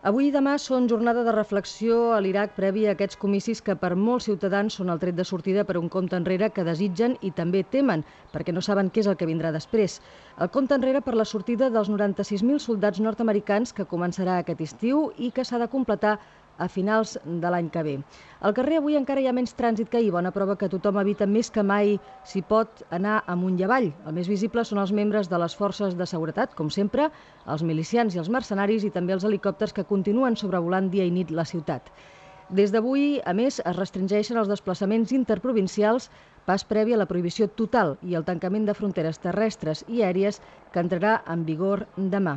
Avui i demà són jornada de reflexió a l'Iraq previ a aquests comicis que per molts ciutadans són el tret de sortida per a un compte enrere que desitgen i també temen, perquè no saben què és el que vindrà després. El compte enrere per la sortida dels 96.000 soldats nord-americans que començarà aquest estiu i que s'ha de completar a finals de l'any que ve. Al carrer avui encara hi ha menys trànsit que ahir, bona prova que tothom evita més que mai s'hi pot anar amunt i avall. El més visible són els membres de les forces de seguretat, com sempre, els milicians i els mercenaris i també els helicòpters que continuen sobrevolant dia i nit la ciutat. Des d'avui, a més, es restringeixen els desplaçaments interprovincials, pas previ a la prohibició total i el tancament de fronteres terrestres i aèries que entrarà en vigor demà.